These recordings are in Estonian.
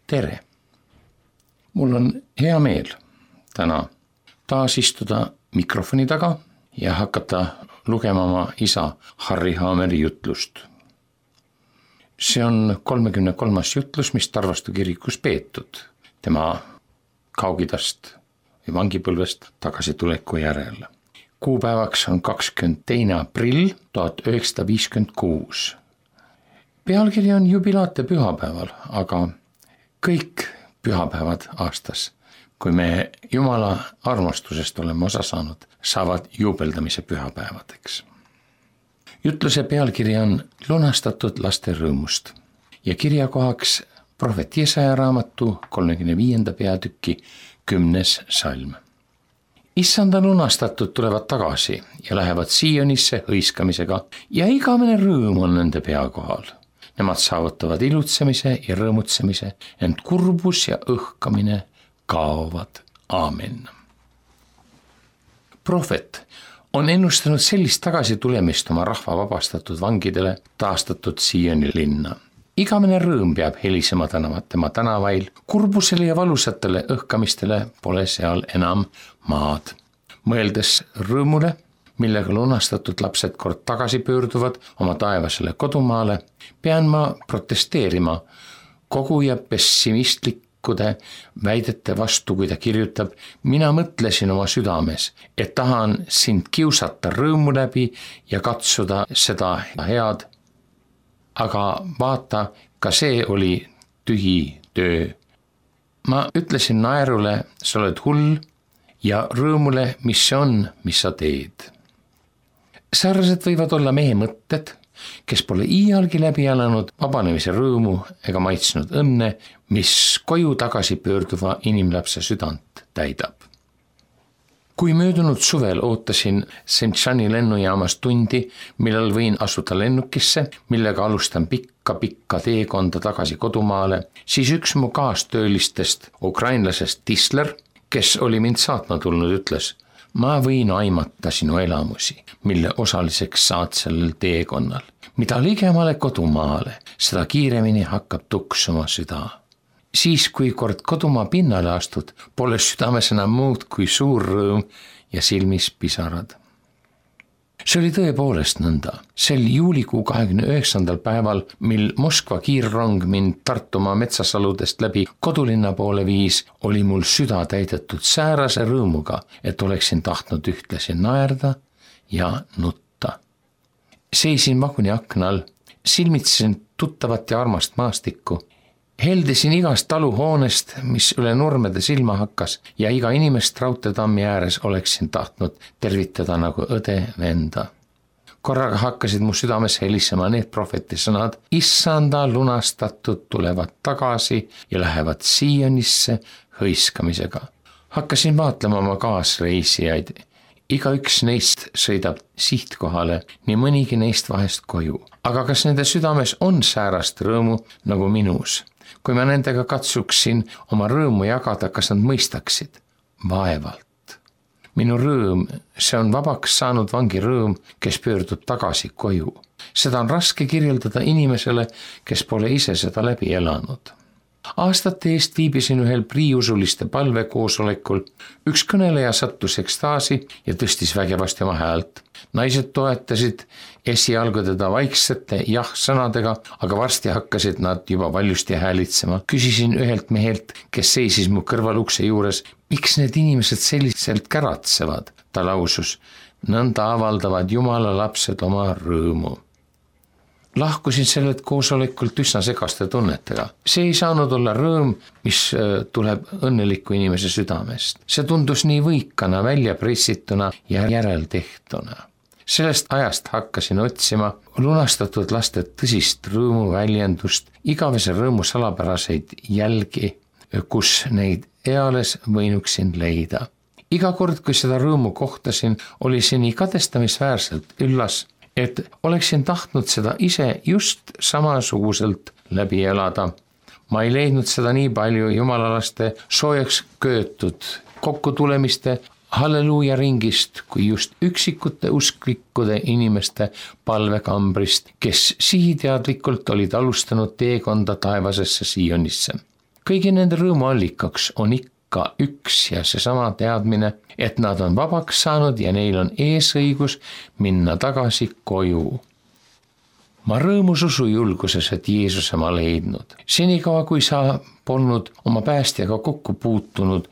tere! Mul on hea meel täna taas istuda mikrofoni taga ja hakata lugema oma isa Harri Haameri jutlust. See on 33. jutlus, mis Tarvastu kirikus peetud tema Kaug-Idast või vangipõlvest tagasituleku järel. Kuupäevaks on 22. aprill 1956. Pealkiri on jubilaate pühapäeval, aga kõik pühapäevad aastas, kui me Jumala armastusest oleme osa saanud, saavad juubeldamise pühapäevadeks. Jutluse pealkiri on Lunastatud laste rõõmust ja kirjakohaks prohvet Jesaja raamatu 35. peatüki 10. salm. Issanda lunastatud tulevad tagasi ja lähevad Siionisse hõiskamisega ja igavene rõõm on nende pea kohal. Nemad saavutavad ilutsemise ja rõõmutsemise, ent kurbus ja õhkamine kaovad. Aamen. Prohvet on ennustanud sellist tagasitulemist oma rahva vabastatud vangidele taastatud Sioni linna. Igavene rõõm peab helisema tema tänavail, kurbusele ja valusatele õhkamistele pole seal enam maad. Mõeldes rõõmule, millega lunastatud lapsed kord tagasi pöörduvad oma taevasele kodumaale, pean ma protesteerima kogu ja pessimistlikkude väidete vastu, kui ta kirjutab: mina mõtlesin oma südames, et tahan sind kiusata rõõmu läbi ja katsuda seda head. Aga vaata, ka see oli tühi töö. Ma ütlesin naerule, sa oled hull, ja rõõmule, mis see on, mis sa teed. Sarnased võivad olla mehe mõtted, kes pole iialgi läbi elanud vabanemise rõõmu ega maitsnud õnne, mis koju tagasi pöörduva inimlapse südant täidab. Kui möödunud suvel ootasin Sentšani lennujaamas tundi, millal võin asuda lennukisse, millega alustan pikka teekonda tagasi kodumaale, siis üks mu kaastöölistest, ukrainlasest Tisler, kes oli mind saatma tulnud, ütles: ma võin aimata sinu elamusi, mille osaliseks saad sellel teekonnal. Mida ligemale kodumaale, seda kiiremini hakkab tuksuma süda. Siis, kui kord kodumaa pinnale astud, pole südames enam muud kui suur rõõm ja silmis pisarad. See oli tõepoolest nõnda. Sel juulikuu 29. päeval, mil Moskva kiirrong mind Tartumaa metsasaludest läbi kodulinna poole viis, oli mul süda täidetud säärase rõõmuga, et oleksin tahtnud ühtlasi naerda ja nutta. Seisin vaguni aknal, silmitsesin tuttavat ja armast maastikku. Heldisin igast taluhoonest, mis üle nurmede silma hakkas, ja iga inimest raudteetammi ääres oleksin tahtnud tervitada nagu õde-venda. Korraga hakkasid mu südames helisema need prohveti sõnad: Issanda lunastatud tulevad tagasi ja lähevad Siionisse hõiskamisega. Hakkasin vaatlema oma kaasreisijaid. Igaüks neist sõidab sihtkohale, nii mõnigi neist vahest koju. Aga kas nende südames on säärast rõõmu nagu minus? Kui ma nendega katsuksin oma rõõmu jagada, kas nad mõistaksid? Vaevalt. Minu rõõm, see on vabaks saanud vangi rõõm, kes pöördub tagasi koju. Seda on raske kirjeldada inimesele, kes pole ise seda läbi elanud. Aastate eest viibisin ühel priiusuliste palvekoosolekul. Üks kõneleja sattus ekstaasi ja tõstis vägevasti oma häält. Naised toetasid esialgu teda vaiksete jah-sõnadega, aga varsti hakkasid nad juba valjusti häälitsema. Küsisin ühelt mehelt, kes seisis mu kõrval ukse juures: miks need inimesed selliselt käratsevad? Ta lausus: nõnda avaldavad Jumala lapsed oma rõõmu. Lahkusin sellelt koosolekult üsna segaste tunnetega. See ei saanud olla rõõm, mis tuleb õnneliku inimese südamest. See tundus nii võikana, välja pressituna ja järeltehtuna. Sellest ajast hakkasin otsima lunastatud laste tõsist rõõmu väljendust, igavese rõõmu salapäraseid jälgi, kus neid eales võinuksin leida. Iga kord, kui seda rõõmu kohtasin, oli see nii kadestamisväärselt üllas, et oleksin tahtnud seda ise just samasuguselt läbi elada. Ma ei leidnud seda nii palju jumalalaste soojaks köötud kokkutulemiste halleluuja ringist kui just üksikute usklikkude inimeste palvekambrist, kes sihiteadlikult olid alustanud teekonda taevasesse Sionisse. kõigi nende rõõmuallikaks on ikka üks ja seesama teadmine, et nad on vabaks saanud ja neil on eesõigus minna tagasi koju. Ma rõõmus usu julguses, et Jeesuse ma leidnud. Senikaua, kui sa polnud oma päästjaga kokku puutunud,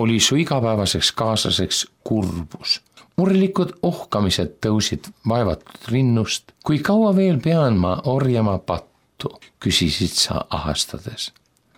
oli su igapäevaseks kaaslaseks kurbus. Murelikud ohkamised tõusid vaevatud rinnust. Kui kaua veel pean ma orjama pattu, küsisid sa ahastades.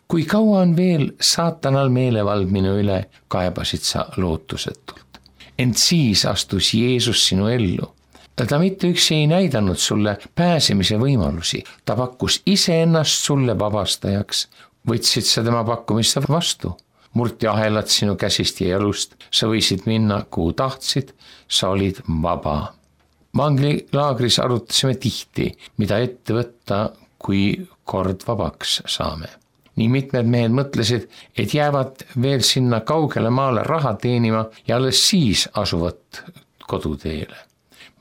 Kui kaua on veel saatanal meelevald minu üle, kaebasid sa lootusetult. Ent siis astus Jeesus sinu ellu. Ta mitte üksi ei näidanud sulle pääsemise võimalusi, ta pakkus iseennast sulle vabastajaks. Võtsid sa tema pakkumist vastu, murti ahelad sinu käsist ja jalust, sa võisid minna kuhu tahtsid, sa olid vaba. Vanglilaagris arutasime tihti, mida ette võtta, kui kord vabaks saame. Nii mitmed mehed mõtlesid, et jäävad veel sinna kaugele maale raha teenima ja alles siis asuvad koduteele.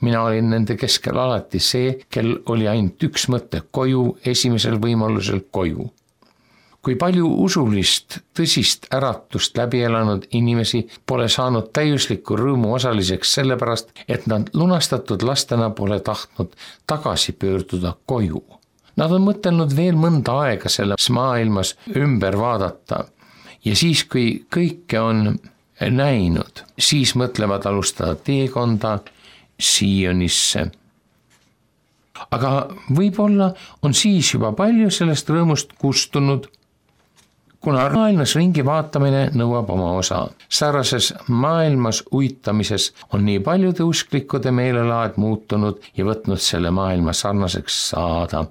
Mina olin nende keskel alati see, kel oli ainult üks mõte: koju, esimesel võimalusel koju. Kui palju usulist tõsist äratust läbi elanud inimesi pole saanud täiusliku rõõmu osaliseks sellepärast, et nad lunastatud lastena pole tahtnud tagasi pöörduda koju. Nad on mõtelnud veel mõnda aega selles maailmas ümber vaadata ja siis, kui kõike on näinud, siis mõtlevad alustada teekonda Siionisse. Aga võib-olla on siis juba palju sellest rõõmust kustunud, kuna maailmas ringi vaatamine nõuab oma osa. Sarnases maailmas uitamises on nii paljude usklikkude meelelaad muutunud ja võtnud selle maailma sarnaseks saada.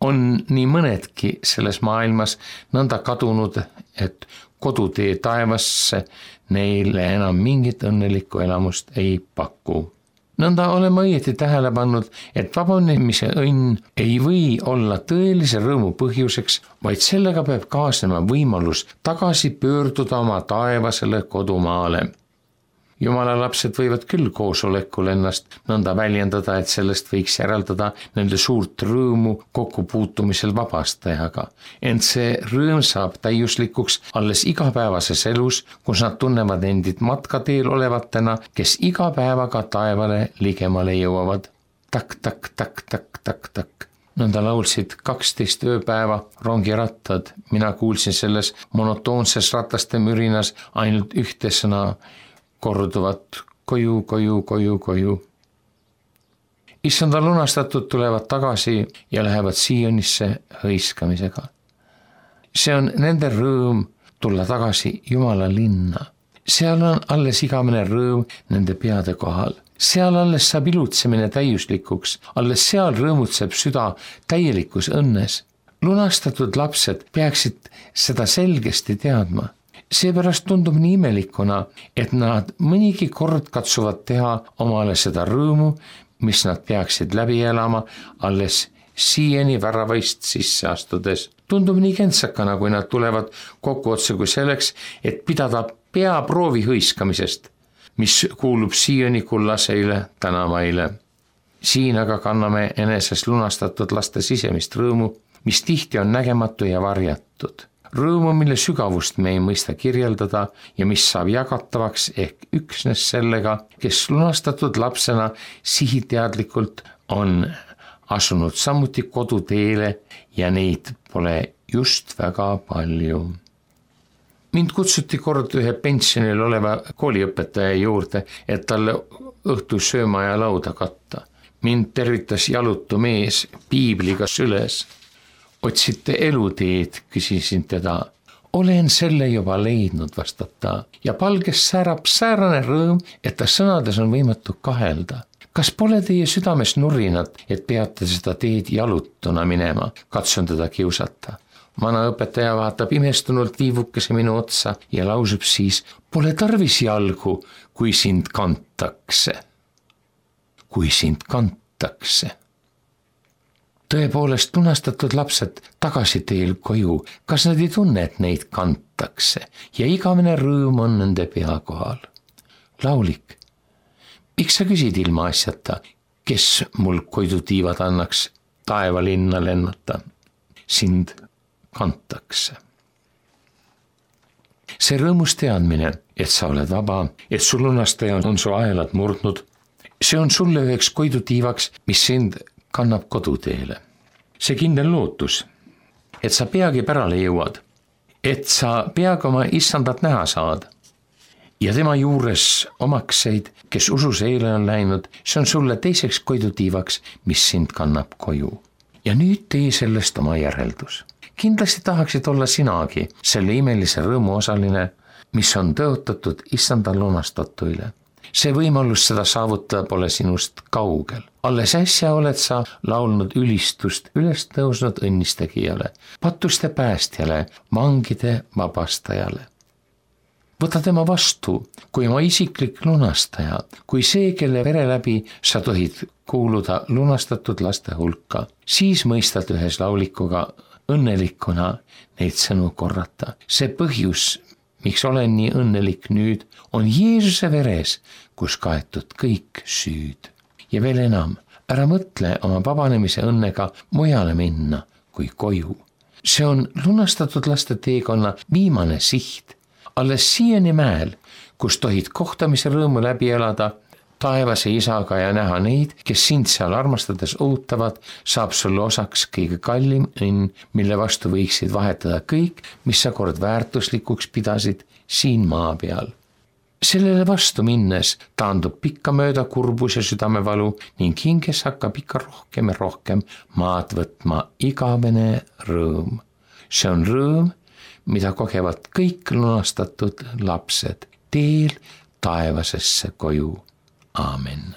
On nii mõnedki selles maailmas nõnda kadunud, et kodutee taevasse neile enam mingit õnnelikku elamust ei paku. Nõnda oleme õieti tähele pannud, et vabanemise õnn ei või olla tõelise rõõmu põhjuseks, vaid sellega peab kaasnema võimalus tagasi pöörduda oma taevasele kodumaale. Jumala lapsed võivad küll koosolekul ennast nõnda väljendada, et sellest võiks järeldada nende suurt rõõmu kokkupuutumisel vabastajaga. Ent see rõõm saab täiuslikuks alles igapäevases elus, kus nad tunnevad endid matkateel olevatena, kes iga päevaga taevale ligemale jõuavad. Tak, tak, tak, tak, tak, tak. Nõnda laulsid 12 ööpäeva rongirattad. Mina kuulsin selles monotoonses rataste mürinas ainult ühte sõna: korduvat koju, koju, koju, koju. Issanda lunastatud tulevad tagasi ja lähevad Siionisse hõiskamisega. See on nende rõõm tulla tagasi Jumala linna. Seal on alles igavene rõõm nende peade kohal. Seal alles saab ilutsemine täiuslikuks, alles seal rõõmutseb süda täielikus õnnes. Lunastatud lapsed peaksid seda selgesti teadma. Seepärast tundub nii imelikuna, et nad mõnigi kord katsuvad teha omale seda rõõmu, mis nad peaksid läbi elama alles siiani väravaist sisse astudes. Tundub nii kentsakana, kui nad tulevad kokku otse kui selleks, et pidada peaproovi hõiskamisest, mis kuulub Sioni kullaseile tänavaile. Siin aga kanname eneses lunastatud laste sisemist rõõmu, mis tihti on nägematu ja varjatud. Rõõmu, mille sügavust me ei mõista kirjeldada ja mis saab jagatavaks ehk üksnes sellega, kes lunastatud lapsena sihiteadlikult on asunud samuti koduteele ja neid pole just väga palju. Mind kutsuti kord ühe pensionil oleva kooliõpetaja juurde, et talle õhtu sööma ja lauda katta. Mind tervitas jalutu mees piibliga süles. Otsite eluteed, küsisin teda. Olen selle juba leidnud, vastab ta, ja palges säärab säärane rõõm, et ta sõnades on võimatu kahelda. Kas pole teie südames nurinat, et peate seda teed jalutuna minema? Katsun teda kiusata. Vana õpetaja vaatab imestunult liivukese minu otsa ja lausub siis: pole tarvis jalgu, kui sind kantakse. Kui sind kantakse. Tõepoolest lunastatud lapsed tagasi teel koju, kas nad ei tunne, et neid kantakse ja igavene rõõm on nende pea kohal? Laulik, miks sa küsid ilma asjata, kes mul koidutiivad annaks taevalinna lennata? Sind kantakse. see rõõmus teadmine, et sa oled vaba, et su lunastaja on su aelad murdnud, see on sulle üheks koidutiivaks, mis sind kannab koduteele. See kindel lootus, et sa peagi pärale jõuad, et sa peagi oma issandat näha saad ja tema juures omakseid, kes usus eile on läinud, see on sulle teiseks koidutiivaks, mis sind kannab koju. Ja nüüd tee sellest oma järeldus. Kindlasti tahaksid olla sinagi selle imelise rõõmu osaline, mis on tõotatud issanda lunastatuile. See võimalus seda saavutada pole sinust kaugel. Alles äsja oled sa laulnud ülistust üles tõusnud õnnistegijale, patuste päästjale, vangide vabastajale. Võta tema vastu kui oma isiklik lunastaja, kui see, kelle vere läbi sa tohid kuuluda lunastatud laste hulka, siis mõistad ühes laulikuga õnnelikuna neid sõnu korrata. See põhjus, miks olen nii õnnelik nüüd, on Jeesuse veres, kus kaetud kõik süüd. Ja veel enam, ära mõtle oma vabanemise õnnega mujale minna kui koju. See on lunastatud laste teekonna viimane siht. Alles siiani mäel, kus tohid kohtamise rõõmu läbi elada taevase isaga ja näha neid, kes sind seal armastades ootavad, saab sulle osaks kõige kallim õnn, mille vastu võiksid vahetada kõik, mis sa kord väärtuslikuks pidasid siin maa peal. Sellele vastu minnes taandub pikkamööda kurbus ja südamevalu ning hinges hakkab ikka rohkem ja rohkem maad võtma igavene rõõm. See on rõõm, mida kogevad kõik lunastatud lapsed teel taevasesse koju. Aamen.